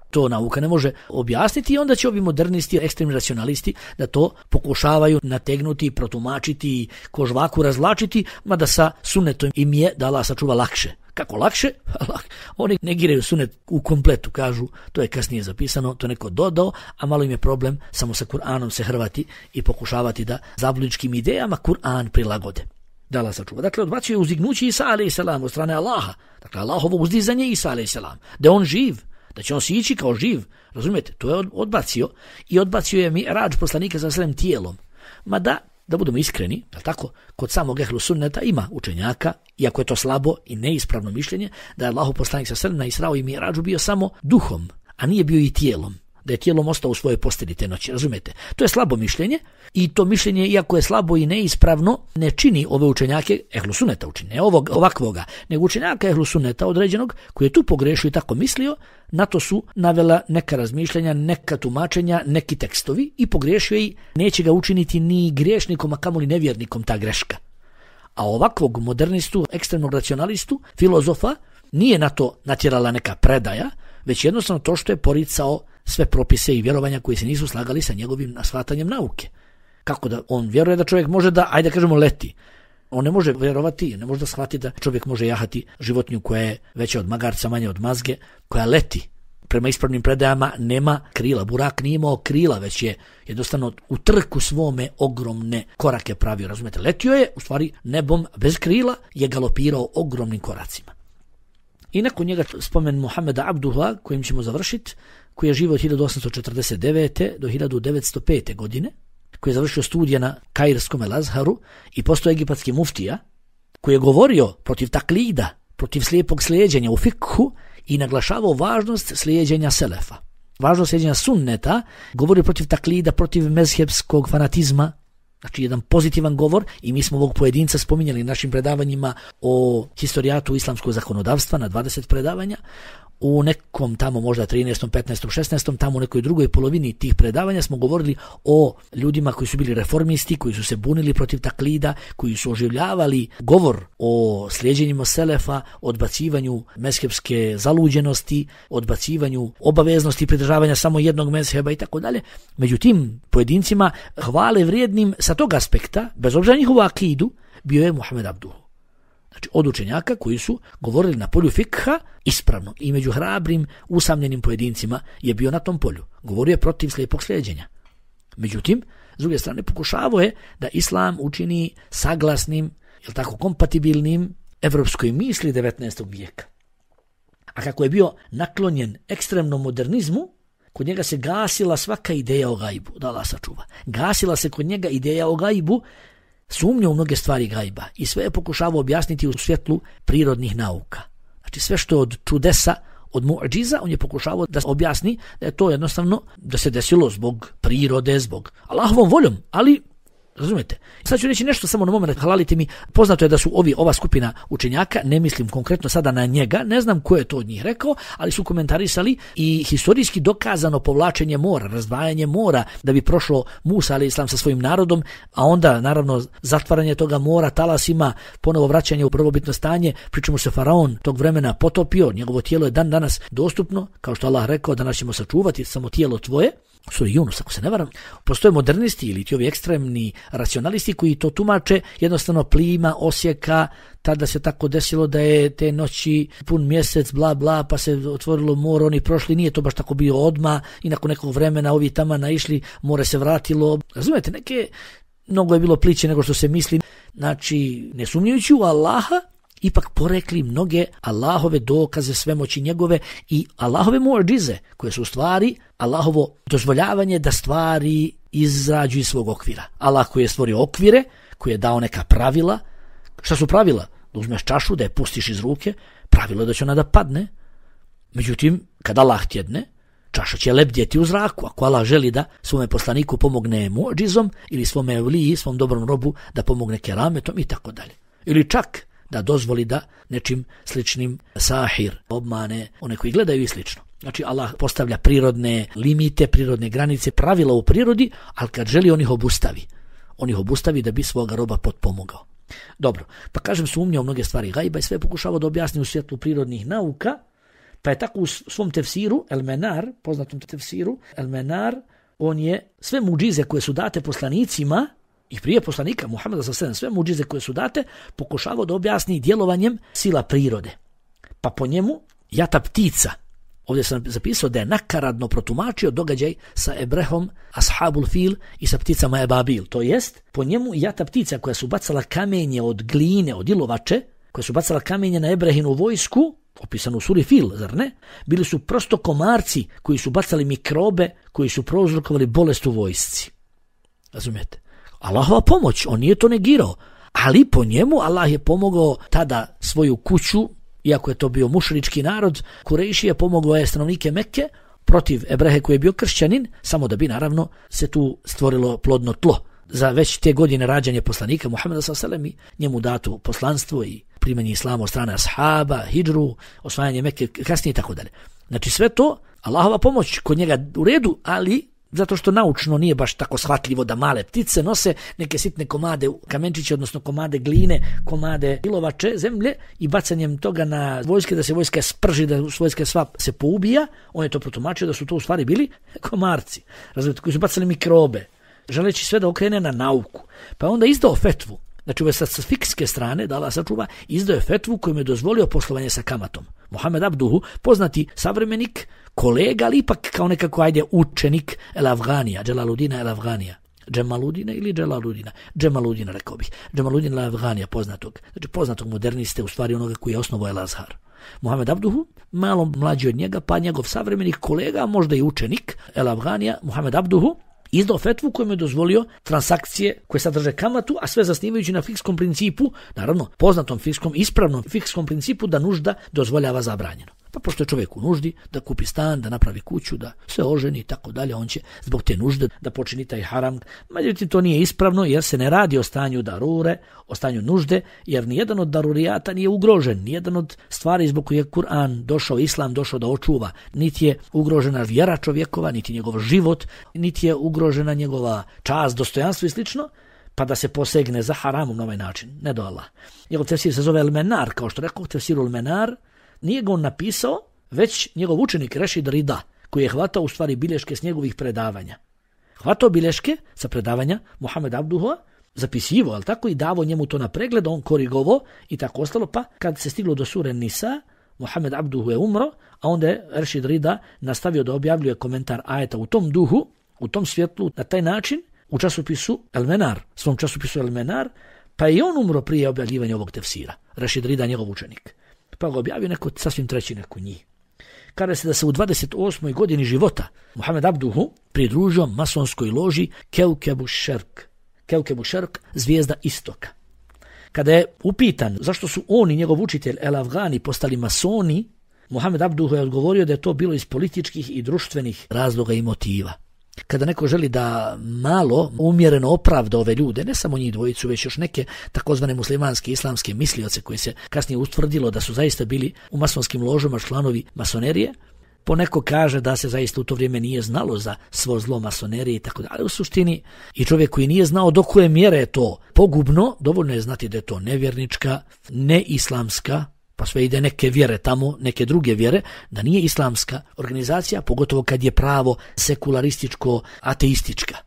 To nauka ne može objasniti i onda će ovi modernisti, ekstremni racionalisti da to pokušavaju nategnuti, protumačiti, ko žvaku razvlačiti, mada sa sunnetom im je da Allah sačuva lakše. Kako lakše? Oni negiraju sunnet u kompletu, kažu to je kasnije zapisano, to je neko dodao, a malo im je problem samo sa Kur'anom se hrvati i pokušavati da zabludičkim idejama Kur'an prilagode. Da Allah sačuva. Dakle, odbacio je uzdignuće Isa a.s. od strane Allaha. Dakle, Allahovo uzdizanje Isa a.s. Da je on živ, da će on sići kao živ. Razumijete? To je odbacio i odbacio je Mi'rađ poslanika sa svojim tijelom. Mada, da budemo iskreni, tako, kod samog ehlu sunneta ima učenjaka, iako je to slabo i neispravno mišljenje, da je Allahu poslanik sa svem na Israu i Mi'rađu bio samo duhom, a nije bio i tijelom. Da je tijelom ostao u svojoj postelji te noći, razumijete? To je slabo mišljenje i to mišljenje, iako je slabo i neispravno, ne čini ove učenjake ehlu sunneta učini, ne ovakvoga, nego učenjaka ehlu sunneta određenog koji je tu pogrešio i tako mislio, na to su navela neka razmišljanja, neka tumačenja, neki tekstovi i pogrešio i neće ga učiniti ni griješnikom, a kamoli nevjernikom ta greška. A ovakvog modernistu, ekstremnog racionalistu, filozofa, nije na to natjerala neka predaja, već jednostavno to što je poricao sve propise i vjerovanja koji se nisu slagali sa njegovim shvatanjem nauke. Kako da on vjeruje da čovjek može da, ajde kažemo, leti. On ne može vjerovati, ne može da shvati da čovjek može jahati životinju koja je veća od magarca, manje od mazge, koja leti. Prema ispravnim predajama nema krila. Burak nije imao krila, već je jednostavno u trku svome ogromne korake pravio. Razumete, letio je, u stvari nebom bez krila je galopirao ogromnim koracima. I nakon njega spomen Muhameda Abduha, kojim ćemo završiti, koji je živio od 1849. do 1905. godine, koji je završio studije na Kairskom El-Azharu i postao egipatski muftija, koji je govorio protiv taklida, protiv slijepog slijeđenja u fikhu i naglašavao važnost slijeđenja selefa. Važnost slijeđenja sunneta, govorio protiv taklida, protiv mezhebskog fanatizma, znači jedan pozitivan govor i mi smo ovog pojedinca spominjali našim predavanjima o historijatu islamskog zakonodavstva na 20 predavanja, u nekom tamo možda 13., 15., 16. tamo u nekoj drugoj polovini tih predavanja smo govorili o ljudima koji su bili reformisti, koji su se bunili protiv taklida, koji su oživljavali govor o slijeđenjima selefa, odbacivanju mezhebske zaluđenosti, odbacivanju obaveznosti pridržavanja samo jednog mezheba i tako dalje. Među tim pojedincima hvale vrijednim sa tog aspekta, bez obzira njihovu akidu, bio je Muhammed Abduh. Znači od učenjaka koji su govorili na polju fikha ispravno i među hrabrim, usamljenim pojedincima je bio na tom polju. Govorio je protiv slijepog slijeđenja. Međutim, s druge strane pokušavao je da islam učini saglasnim, jel tako, kompatibilnim evropskoj misli 19. vijeka. A kako je bio naklonjen ekstremnom modernizmu, kod njega se gasila svaka ideja o gajbu, da Allah sačuva. Gasila se kod njega ideja o gajbu, sumnja u mnoge stvari gajba i sve je pokušavao objasniti u svjetlu prirodnih nauka. Znači sve što je od čudesa, od mu'džiza, on je pokušavao da objasni da je to jednostavno da se desilo zbog prirode, zbog Allahovom voljom, ali razumijete. Sad ću reći nešto samo na moment, halalite mi, poznato je da su ova skupina učenjaka, ne mislim konkretno sada na njega, ne znam ko je to od njih rekao, ali su komentarisali i historijski dokazano povlačenje mora, razdvajanje mora da bi prošlo Musa a.s. sa svojim narodom, a onda naravno zatvaranje toga mora talasima, ponovo vraćanje u prvobitno stanje, pričemu se faraon tog vremena potopio, njegovo tijelo je dan danas dostupno, kao što Allah rekao, danas ćemo sačuvati samo tijelo tvoje. Suri Yunus, ako se ne varam, postoje modernisti ili ti ovi ekstremni racionalisti koji to tumače jednostavno plima, osjeka, tada se tako desilo da je te noći pun mjesec, bla bla, pa se otvorilo more, oni prošli, nije to baš tako bio odmah i nakon nekog vremena ovi tamo naišli, more se vratilo. Razumijete, mnogo je bilo pliće nego što se misli. Znači, ne sumnjujući u Allaha, ipak porekli mnoge Allahove dokaze svemoći njegove i Allahove muadžize, koje su u stvari Allahovo dozvoljavanje da stvari izađu iz svog okvira. Allah koji je stvorio okvire, koji je dao neka pravila. Šta su pravila? Da uzmeš čašu, da je pustiš iz ruke, pravilo je da će ona da padne. Međutim, kad Allah tjedne, čaša će lebdjeti u zraku. Ako Allah želi da svome poslaniku pomogne muadžizom ili svome evliji, svom dobrom robu da pomogne kerametom i tako dalje. Ili čak da dozvoli da nečim sličnim sahir obmane one koji gledaju i slično. Znači Allah postavlja prirodne limite, prirodne granice, pravila u prirodi, ali kad želi on ih obustavi. On ih obustavi da bi svoga roba potpomogao. Dobro, pa kažem sumnja u mnoge stvari gajba i sve pokušava da objasni u svjetlu prirodnih nauka, pa je tako u svom tefsiru, El-Menar, poznatom tefsiru, El-Menar, on je sve muđize koje su date poslanicima i prije poslanika Muhameda s.a.v. sve muđize koje su date pokušavao da objasni djelovanjem sila prirode. Pa po njemu jata ptica, ovdje sam zapisao da je nakaradno protumačio događaj sa Ebrehom, Ashabul Fil i sa pticama Ebabil. To jest, po njemu jata ptica koja su bacala kamenje od gline, od ilovače, koja su bacala kamenje na Ebrehinu vojsku, opisano u suri Fil, zar ne? Bili su prosto komarci koji su bacali mikrobe, koji su prouzrokovali bolest u vojsci. Razumijete? Allahova pomoć, on nije to negirao, ali po njemu Allah je pomogao tada svoju kuću, iako je to bio mušrički narod, Kurejši je pomogao je stanovnike Mekke protiv Ebrehe koji je bio kršćanin, samo da bi naravno se tu stvorilo plodno tlo. Za već te godine rađanje poslanika Muhameda s.a.v. i njemu dato poslanstvo i primanje islama od strane ashaba, hidžru, osvajanje Mekke, kasnije i tako dalje. Znači sve to, Allahova pomoć kod njega u redu, ali zato što naučno nije baš tako shvatljivo da male ptice nose neke sitne komade kamenčiće, odnosno komade gline, komade ilovače, zemlje i bacanjem toga na vojske, da se vojska sprži, da vojska sva se poubija, on je to protumačio da su to u stvari bili komarci, razumijete, koji su bacali mikrobe, želeći sve da okrene na nauku. Pa onda izdao fetvu, znači ove sa fikske strane, da Allah sačuva, izdao je fetvu kojim je dozvolio poslovanje sa kamatom. Mohamed Abduhu, poznati savremenik, kolega, ali ipak kao nekako učenik El-Afganija, Dželaludina El-Afganija. Džemaludina ili Dželaludina? Džemaludina, rekao bih. Džemaludina El-Afganija, poznatog moderniste, u stvari onoga koji je osnovao El-Azhar. Mohamed Abduhu, malo mlađi od njega, pa njegov savremenik, kolega, možda i učenik El-Afganija, Mohamed Abduhu, izdao fetvu kojom je dozvolio transakcije koje sadrže kamatu, a sve zasnivajući na fikskom principu, naravno poznatom fikskom, ispravnom fikskom principu da nužda dozvoljava zabranjeno. Pa pošto je čovjek u nuždi da kupi stan, da napravi kuću, da se oženi i tako dalje, on će zbog te nužde da počini taj haram. Međutim, to nije ispravno jer se ne radi o stanju darure, o stanju nužde, jer nijedan od darurijata nije ugrožen, nijedan od stvari zbog koje je Kur'an došao, Islam došao da očuva, niti je ugrožena vjera čovjekova, niti njegov život, niti je ugrožena njegova čast, dostojanstvo i slično, pa da se posegne za haramom na ovaj način. Ne do Allah. Njegov tefsir se zove El-Menar, kao što rekao, tefsiru El-Menar, nije ga on napisao, već njegov učenik Rešid Rida, koji je hvatao u stvari bilješke s njegovih predavanja. Hvatao bilješke sa predavanja Mohamed Abduha, zapisivo, ali tako, i davo njemu to na pregled, on korigovo i tako ostalo, pa kad se stiglo do sure Nisa, Mohamed Abduhu je umro, a onda je Rešid Rida nastavio da objavljuje komentar ajeta u tom duhu, u tom svjetlu, na taj način, u časopisu El-Menar, svom časopisu El-Menar, pa je on umro prije objavljivanja ovog tefsira. Rešid Rida, njegov učenik. Pa ga objavio neko sasvim treći neko njih. Kaže se da se u 28. godini života Mohamed Abduhu pridružio masonskoj loži Keukebu Šerk, zvijezda istoka. Kada je upitan zašto su on i njegov učitelj El-Afgani postali masoni, Mohamed Abduhu je odgovorio da je to bilo iz političkih i društvenih razloga i motiva. Kada neko želi da malo umjereno opravda ove ljude, ne samo njih dvojicu, već još neke takozvane muslimanske islamske mislioce koji se kasnije utvrdilo da su zaista bili u masonskim ložama članovi masonerije, poneko kaže da se zaista u to vrijeme nije znalo za svo zlo masonerije i tako dalje, ali u suštini i čovjek koji nije znao do koje mjere je to pogubno, dovoljno je znati da je to nevjernička, neislamska, pa sve ide neke vjere tamo, neke druge vjere, da nije islamska organizacija, pogotovo kad je pravo sekularističko, ateistička.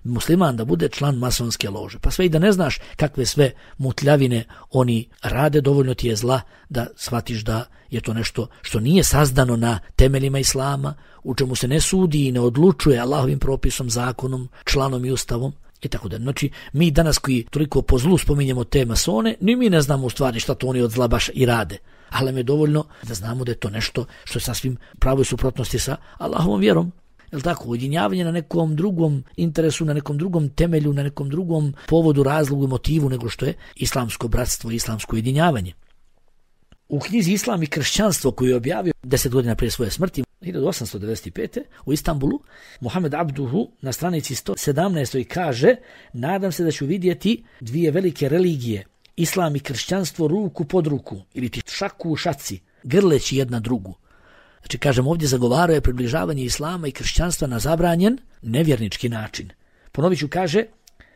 musliman da bude član masonske lože. Pa sve i da ne znaš kakve sve mutljavine oni rade, dovoljno ti je zla da shvatiš da je to nešto što nije sazdano na temeljima islama, u čemu se ne sudi i ne odlučuje Allahovim propisom, zakonom, članom i ustavom. I tako da. Znači, mi danas koji toliko po zlu spominjemo te masone, ni mi ne znamo u stvari šta to oni od zla baš i rade. Ali je dovoljno da znamo da je to nešto što je sasvim pravoj suprotnosti sa Allahovom vjerom. Jel tako? Ujedinjavanje na nekom drugom interesu, na nekom drugom temelju, na nekom drugom povodu, razlogu i motivu nego što je islamsko bratstvo i islamsko ujedinjavanje. U knjizi Islam i kršćanstvo koju je objavio 10 godina prije svoje smrti, 1895. u Istanbulu, Muhammed Abduhu na stranici 117. kaže: nadam se da ću vidjeti dvije velike religije, Islam i kršćanstvo, ruku pod ruku, ili ti šaku u šaci, grleći jedna drugu. Znači, kažem, ovdje zagovarao je približavanje Islama i kršćanstva na zabranjen, nevjernički način. Ponovit ću, kaže,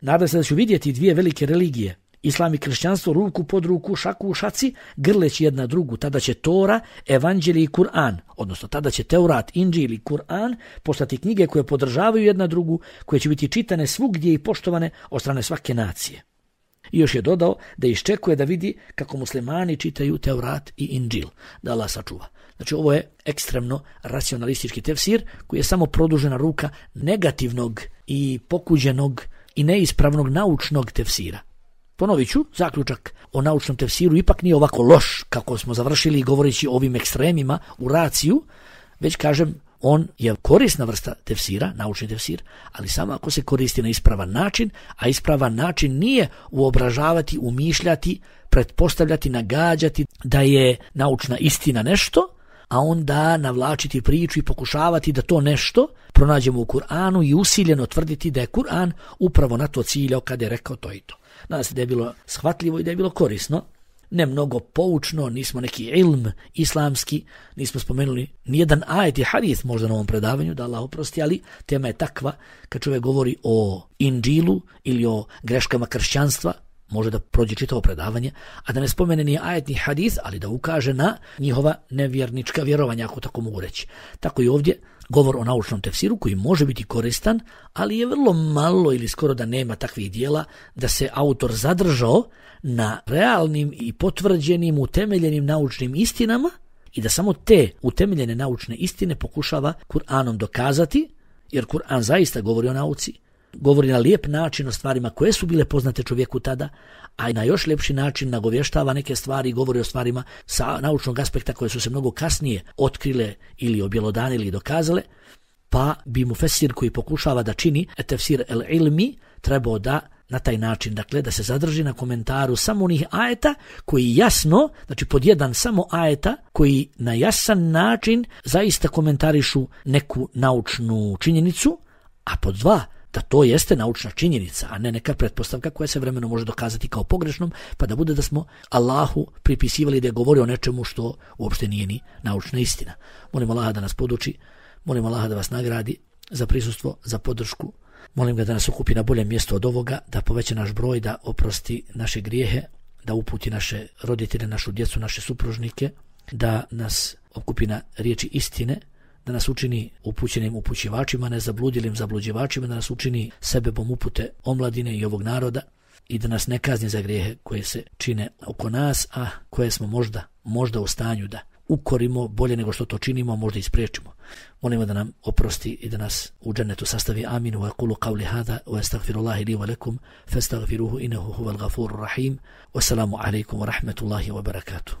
nadam se da ću vidjeti dvije velike religije, Islam i kršćanstvo, ruku pod ruku, šaku u šaci, grleći jedna drugu. Tada će Tora, Evanđelje i Kur'an, odnosno tada će Teurat, Inđil i Kur'an postati knjige koje podržavaju jedna drugu, koje će biti čitane svugdje i poštovane od strane svake nacije. I još je dodao da iščekuje da vidi kako muslimani čitaju Teurat i Inđil, da Allah sačuva. Znači, ovo je ekstremno racionalistički tefsir koji je samo produžena ruka negativnog i pokuđenog i neispravnog naučnog tefsira. Ponovit ću, zaključak o naučnom tefsiru ipak nije ovako loš kako smo završili govoreći o ovim ekstremima u raciju, već kažem, on je korisna vrsta tefsira, naučni tefsir, ali samo ako se koristi na ispravan način, a ispravan način nije uobražavati, umišljati, pretpostavljati, nagađati da je naučna istina nešto, a onda navlačiti priču i pokušavati da to nešto pronađemo u Kur'anu i usiljeno tvrditi da je Kur'an upravo na to ciljao kada je rekao to i to. Nadam se da je bilo shvatljivo i da je bilo korisno, ne mnogo poučno, nismo neki ilm islamski, nismo spomenuli nijedan ajet i hadis možda na ovom predavanju, da Allah oprosti, ali tema je takva kad čovjek govori o Inđilu ili o greškama kršćanstva, može da prođe čitavo predavanje, a da ne spomene ni ajet ni hadis, ali da ukaže na njihova nevjernička vjerovanja, ako tako mogu reći. Tako i ovdje govor o naučnom tefsiru koji može biti koristan, ali je vrlo malo ili skoro da nema takvih dijela da se autor zadržao na realnim i potvrđenim, utemeljenim naučnim istinama i da samo te utemeljene naučne istine pokušava Kur'anom dokazati, jer Kur'an zaista govori o nauci, govori na lijep način o stvarima koje su bile poznate čovjeku tada, a i na još ljepši način nagovještava neke stvari i govori o stvarima sa naučnog aspekta koje su se mnogo kasnije otkrile ili objelodanile ili dokazale, pa bi mufesir koji pokušava da čini tefsir el-ilmi trebao da na taj način, dakle, da se zadrži na komentaru samo onih ajeta koji jasno, znači pod jedan samo ajeta koji na jasan način zaista komentarišu neku naučnu činjenicu, a pod dva, da to jeste naučna činjenica, a ne neka pretpostavka koja se vremenom može dokazati kao pogrešnom, pa da bude da smo Allahu pripisivali da je govorio o nečemu što uopšte nije ni naučna istina. Molim Allaha da nas poduči, molim Allaha da vas nagradi za prisustvo, za podršku. Molim ga da nas okupi na boljem mjestu od ovoga, da poveća naš broj, da oprosti naše grijehe, da uputi naše roditelje, našu djecu, naše supružnike, da nas okupi na riječi istine, da nas učini upućenim upućivačima, ne zabludjelim zabluđivačima, da nas učini sebebom upute omladine i ovog naroda i da nas ne kazni za grijehe koje se čine oko nas, a koje smo možda u stanju da ukorimo bolje nego što to činimo, možda i spriječimo. Molimo da nam oprosti i da nas u džennetu sastavi. Amin. Wa aqulu qawli hada wa astaghfirullahi li wa lakum fastaghfiruhu innahu huwal ghafurur rahim. Wassalamu alaikum wa rahmatullahi wa barakatuh.